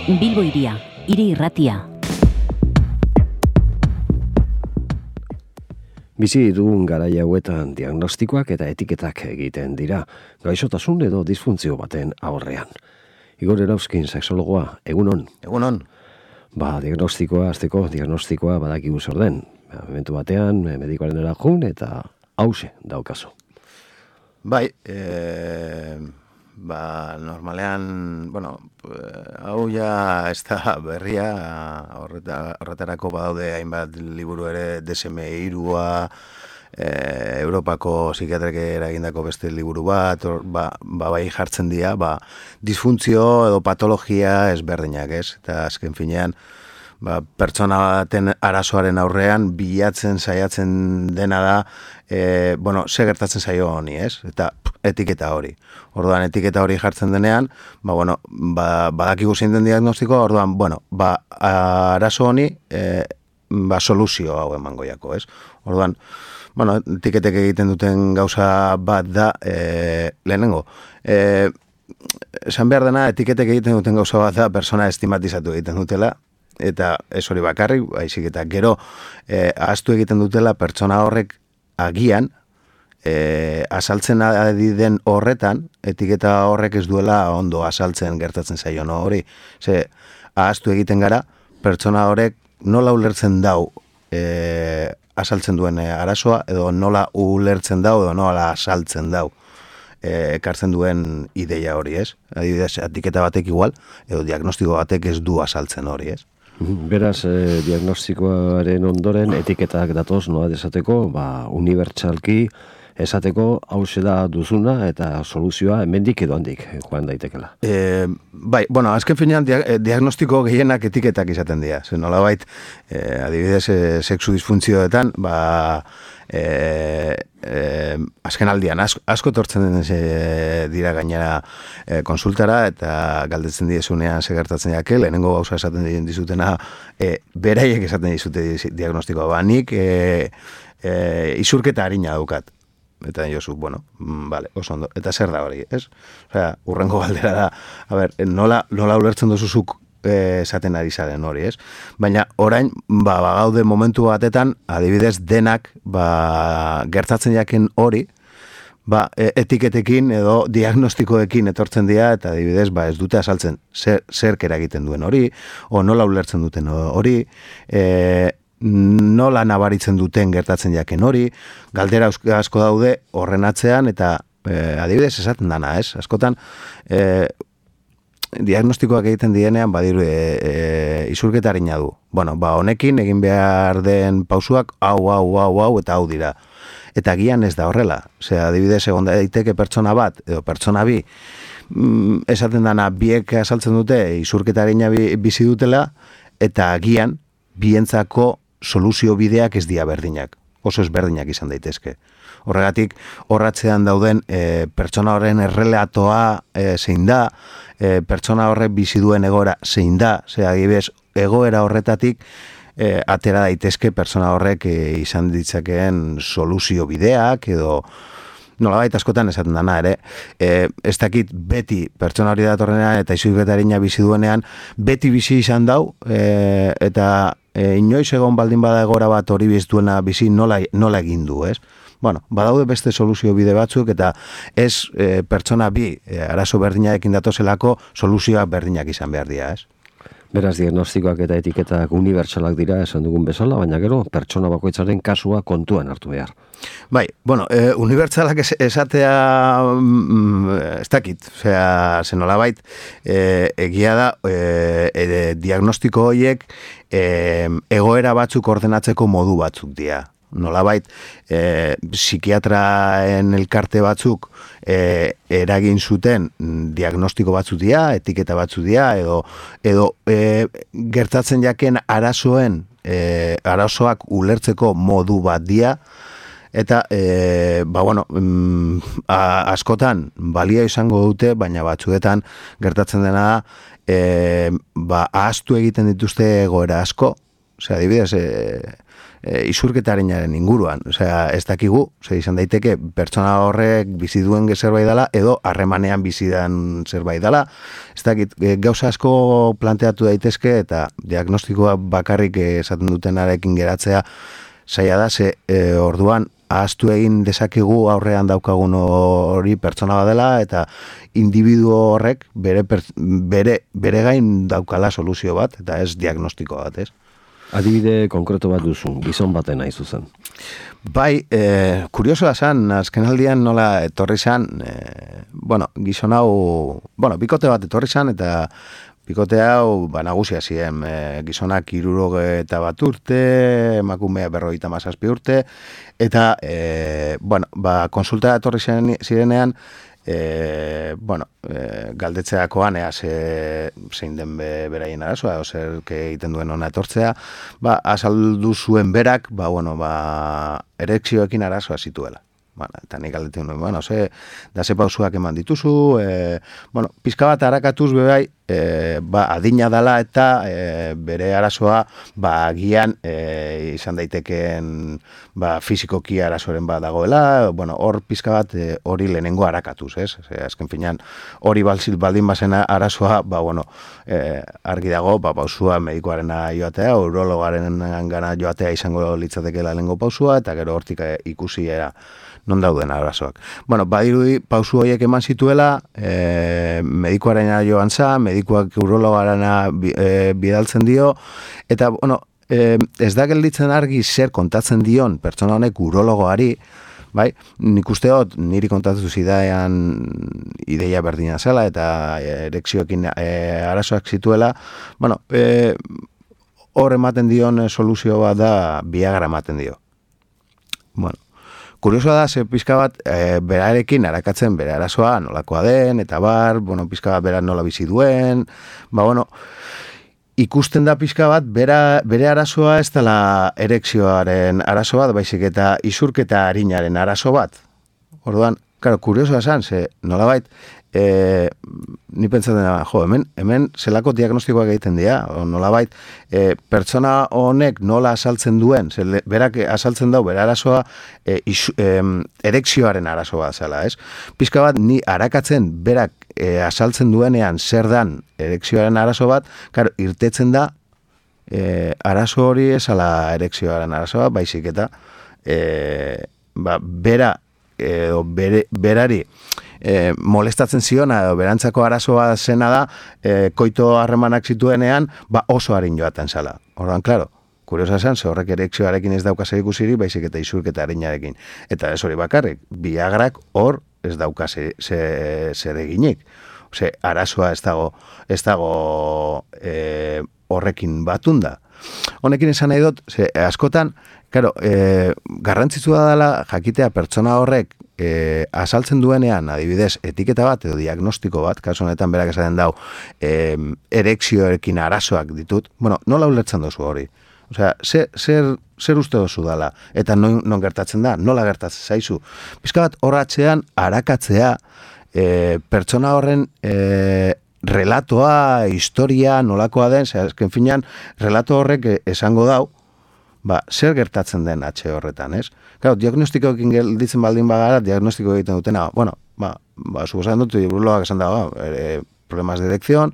Bilbo Hiria, hiri irratia. Bizi dugun garai hauetan diagnostikoak eta etiketak egiten dira, gaixotasun edo disfuntzio baten aurrean. Igor Erauzkin, sexologoa, egunon. Egunon. Diagnostikoa badakigu zer den. Momentu batean, medikoaren erajun eta hause daukazu. Bai, normalean, hau ja ez da berria, horretarako badaude hainbat liburu ere, DSM-3a, Europako psikiatrek eragindako beste liburu bat, bai jartzen dira, disfuntzio edo patologia ezberdinak, ez? Eta azken finean, pertsona baten arazoaren aurrean bilatzen saiatzen dena da, ze gertatzen zaio honi, ez? Eta etiketa hori. Orduan, etiketa hori jartzen denean, badakigu zein den diagnostikoa, orduan, arazo honi, soluzio hau emango jako, ez? Orduan, etiketek egiten duten gauza bat da, lehenengo, esan behar dena, etiketek egiten duten gauza bat da, persona estimatizatu egiten dutela, eta ez hori bakarrik, baizik eta gero ahaztu egiten dutela pertsona horrek agian, azaltzen ari den horretan, etiketa horrek ez duela ondo azaltzen gertatzen zaion hori. Ze, ahaztu egiten gara, pertsona horrek nola ulertzen dau azaltzen duen arazoa, edo nola ulertzen dau, edo nola azaltzen dau ekartzen duen ideia hori, ez? Adibidez, etiketa batek igual, edo diagnostiko batek ez du azaltzen hori, ez? Beraz, diagnostikoaren ondoren etiketak datoz nola desateko, unibertsalki esateko hauxe da duzuna eta soluzioa hemendik edo handik joan daitekela. Azken finean diagnostiko gehienak etiketak izaten dira. Zer nolabait, adibidez, sexu disfuntzioetan, azken aldian, asko tortzen dira gainera konsultara eta galdetzen diezunean segertatzen jake, lehenengo gauza esaten dizutena, beraiek esaten dizute diagnostikoa. Nik isurketa harina daukat. Eta jozu, oso ondo. Eta zer da hori, ez? Osea, urrengo galdera da, nola ulertzen duzuzuk esaten ari zaren hori, ez? Baina orain, gaude momentu batetan, adibidez denak, gertatzen jaken hori, etiketekin edo diagnostikoekin etortzen dira, eta adibidez, ez dute azaltzen zerk eragiten duen hori, o nola ulertzen duten hori, nola nabaritzen duten gertatzen jaken hori, galdera asko daude horren atzean, eta adibidez esaten dana, ez? Askotan, diagnostikoak egiten dienean, badiru isurketa harina du. Honekin egin behar den pausuak, hau, eta hau dira. Eta gian ez da horrela. Adibidez, egon daiteke pertsona bat, edo pertsona bi, esaten dana biek azaltzen dute, isurketa harina bizi dutela, eta gian bientzako soluzio bideak ez dira berdinak. Oso ezberdinak izan daitezke. Horregatik, horratzean dauden pertsona horren errelatoa zein da, pertsona horrek bizi duen egoera zein da, adibidez, egoera horretatik atera daitezke pertsona horrek izan ditzakeen soluzio bideak, edo nolabait askotan esaten dana ere, ez dakit beti pertsona hori datorrenean eta isurketarina bizi duenean, beti bizi izan dau, eta inoiz egon baldin bada egora bat hori biztuena bizi nola egin du, ez? Badaude beste soluzio bide batzuk eta ez pertsona bi arazo berdinarekin datozelako soluzioak berdinak izan behar dira, ez? Beraz, diagnostikoak eta etiketak unibertsalak dira, esan dugun bezala, baina gero, pertsona bakoitzaren kasua kontuan hartu behar. Unibertsalak esatea ez dakit, zenolabait, egia da, diagnostiko horiek egoera batzuk ordenatzeko modu batzuk dira. Nolabait, psikiatraen elkarte batzuk eragin zuten diagnostiko batzuk dira, etiketa batzuk dira, edo gertatzen jaken arazoak ulertzeko modu bat dira, eta, askotan balia izango dute, baina batzuetan gertatzen dena da, ahaztu egiten dituzte egoera asko, osea, adibidez, isurketarinaren inguruan, osea, ez dakigu, izan daiteke pertsona horrek bizi duen zerbait dela, edo harremanean bizi den zerbait dela, ez dakit, gauza asko planteatu daitezke, eta diagnostikoa bakarrik esaten dutenarekin geratzea, zaila da, orduan, ahaztu egin dezakegu aurrean daukagun hori pertsona badela, eta individu horrek bere gain daukala soluzio bat, eta ez diagnostiko bat, ez? Adibide konkreto bat duzu, gizon baten nahi zuzen. Bai, kuriosoa zen, azkenaldian nola etorri zen, gizon hau, bikote bat etorri zen, eta bikote hau, nagusia ziren, gizonak 61 urte, emakumea 57 urte, eta, konsulta etorri zirenean, galdetzeakoan zein den beraien arazoa, zerke egiten duen ona etortzea, azaldu zuen berak, erekzioekin arazoa zituela. Eta nik galdetzen nuen, ze pausuak eman dituzu, pizka bat harakatuz bebai, adina dala eta bere arazoa agian izan daitekeen fizikoki arazoren bat dagoela, hor pizka bat hori lehenengo harakatuz, ez? Azken finean hori baldin bazena arazoa, argi dago, pausua medikoarena joatea, urologaren gana joatea izango litzatekeela lehenengo pausua, eta gero hortik ikusi non dauden arazoak. Badirudi pausu horiek eman zituela, medikoarena joan za, medikoak urologarena bidaltzen dio, eta, ez da gelditzen argi zer kontatzen dion pertsona honek urologoari, bai, nik uste dut niri kontatu zidaean ideia berdina zela, eta erekzioekin arazoak zituela, hor ematen dion soluzio bat da, Viagra ematen dio. Kuriosoa da, pizka bat, berarekin arakatzen bere arazoa nolakoa den, eta pizka bat bera nola bizi duen, ikusten da pizka bat, bere arazoa ez dela erekzioaren arazo bat, baizik eta isurketa arinaren arazo bat. Orduan, kuriosoa esan, nolabait, ni pentsatzen da, hemen zelako diagnostikoak egiten dira, nolabait, pertsona honek nola asaltzen duen, berak asaltzen dau, bere arazoa, erekzioaren arazoa zela, ez? Pizka bat, ni arakatzen berak asaltzen duenean zer dan erekzioaren arazo bat, irtetzen da, arazo hori esala erekzioaren arazoa, baizik eta, berari, molestatzen ziona edo berantzako arazoa zena da koito harremanak zituenean oso harin joaten zala. Orduan, klaro, kuriosa zen, horrek erekzioarekin ez dauka zer ikusiri, baizik eta isurketa harinarekin. Eta ez hori bakarrik, Viagrak hor ez dauka zer eginik. Arazoa ez dago horrekin batunda. Honekin esan nahi dut, askotan, garrantzitsua dela jakitea pertsona horrek asaltzen duenean, adibidez, etiketa bat edo diagnostiko bat, kasu honetan berak esaten dau, erekzioekin arazoak ditut, nola ulertzen dozu hori? Zer uste dozu dala? Eta non gertatzen da? Nola gertatzen zaizu? Pizka bat horratzean arakatzea pertsona horren relatoa, historia, nolakoa den, azken finean, relato horrek esango dau, zer gertatzen den atxe horretan, ez? Claro, diagnostikoekin gelditzen baldin bagara, diagnostiko egiten dutena, suposatzen dut, urologak esan dago, problemas de erección,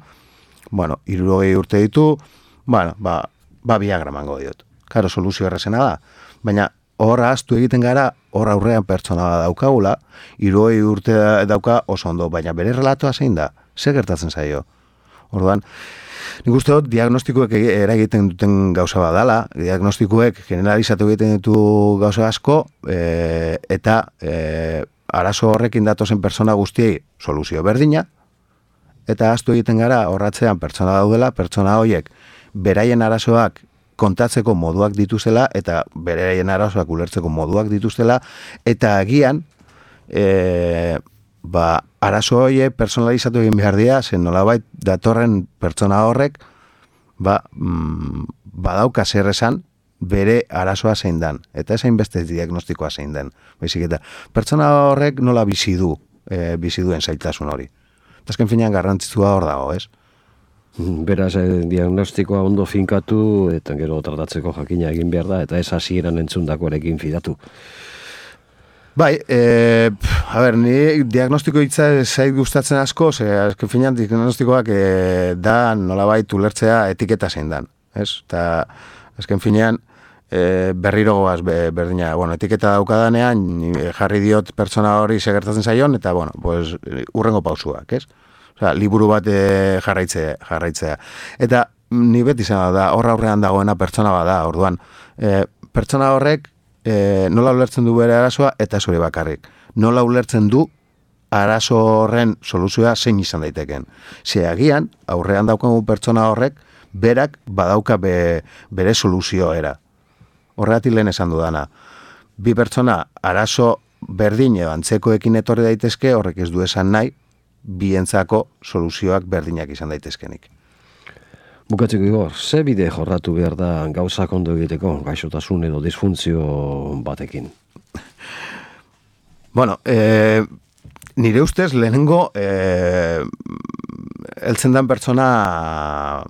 60 urte ditu, Viagra mango diot. Claro, soluzio errazena da, baina horra ahaztu egiten gara, horra aurrean pertsona daukagula, 60 urte dauka oso ondo, baina bere relatoa zein da, zer gertatzen zaio? Orduan, nik uste dut, diagnostikoek eragiten duten gauza badala, diagnostikoek generalizatu egiten ditu gauza asko, eta arazo horrekin datozen pertsona guztiei soluzio berdina, eta ahaztu egiten gara horratzean pertsona daudela, pertsona horiek beraien arazoak kontatzeko moduak dituzela, eta beraien arazoak ulertzeko moduak dituzela, eta agian, arazo horiek personalizatu egin behar dira, zen nolabait datorren pertsona horrek badauka zer esan bere arazoa zein dan, eta esain beste diagnostikoa zein den. Baizik eta pertsona horrek nola bizi duen zailtasun hori. Eta azken finean garrantzitsua hor dago, ez? Beraz, diagnostikoa ondo finkatu, eta gero tratatzeko jakina egin behar da, eta ez hasieran entzundakoarekin fidatu. Bai, ni diagnostiko hitza zait gustatzen asko, azken finean diagnostikoak da nolabait ulertzea etiketa zein dan, ez? Eta azken finean berriro goaz berdina, etiketa daukadanean jarri diot pertsona hori segertatzen zaion, eta pues, urrengo pausuak, ez? Osea, liburu bat jarraitzea. Eta ni beti izan da, aurrean dagoena pertsona bat da, orduan, pertsona horrek nola ulertzen du bere arazoa eta ez hori bakarrik. Nola ulertzen du arazo horren soluzioa zein izan daiteken. Agian, aurrean daukagu pertsona horrek, berak badauka bere soluzioera. Horregatik lehen esan dudana. Bi pertsona arazo berdin edo antzekoekin etorri daitezke, horrek ez du esan nahi, bientzako soluzioak berdinak izan daitezkenik. Bukatzeko Igor, ze bide jorratu behar da gauzak ondo egiteko, gaixotasun edo disfuntzio batekin? Nire ustez lehenengo heltzen dan pertsona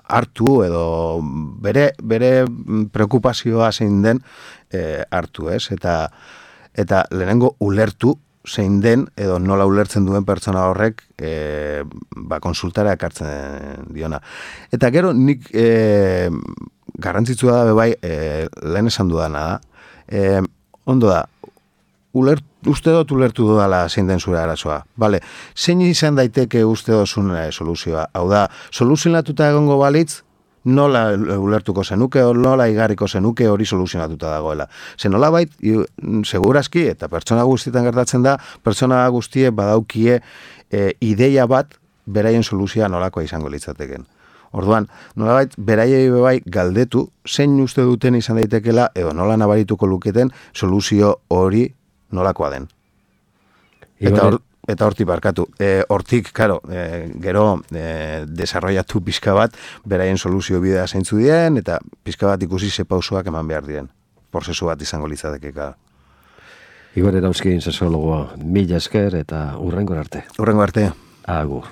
hartu edo bere preokupazioa zein den hartu, ez? Eta lehenengo ulertu zein den edo nola ulertzen duen pertsona horrek konsultara ekartzen diona. Eta gero nik garrantzitsua da bai lehen esan dudana da. Ondo da, uste dut ulertu dudala zein den zure arazoa. Vale, zein izan daiteke uste duzun soluzioa? Hau da, soluzionatuta egongo balitz, nola ulertuko zenuke, nola igarriko zenuke hori soluzionatuta dagoela. Ze nola bait, segurazki, eta pertsona guztietan gertatzen da, pertsona guztie badaukie ideia bat beraien soluzioa nolakoa izango litzateken. Orduan, nolabait, beraiei bai galdetu, zein uste duten izan daitekela, edo nola nabarituko luketen soluzio hori nolakoa den. Eta hortik barkatu. Hortik, karo, gero desarrollatu pixka bat, beraien soluzio bidea zeintzu dien, eta pixka bat ikusi ze pausoak eman behar diren. Prozesu bat izango litzateke. Igor Erauzkin sexologoa, mila esker eta hurrengo arte. Hurrengo arte. Agur.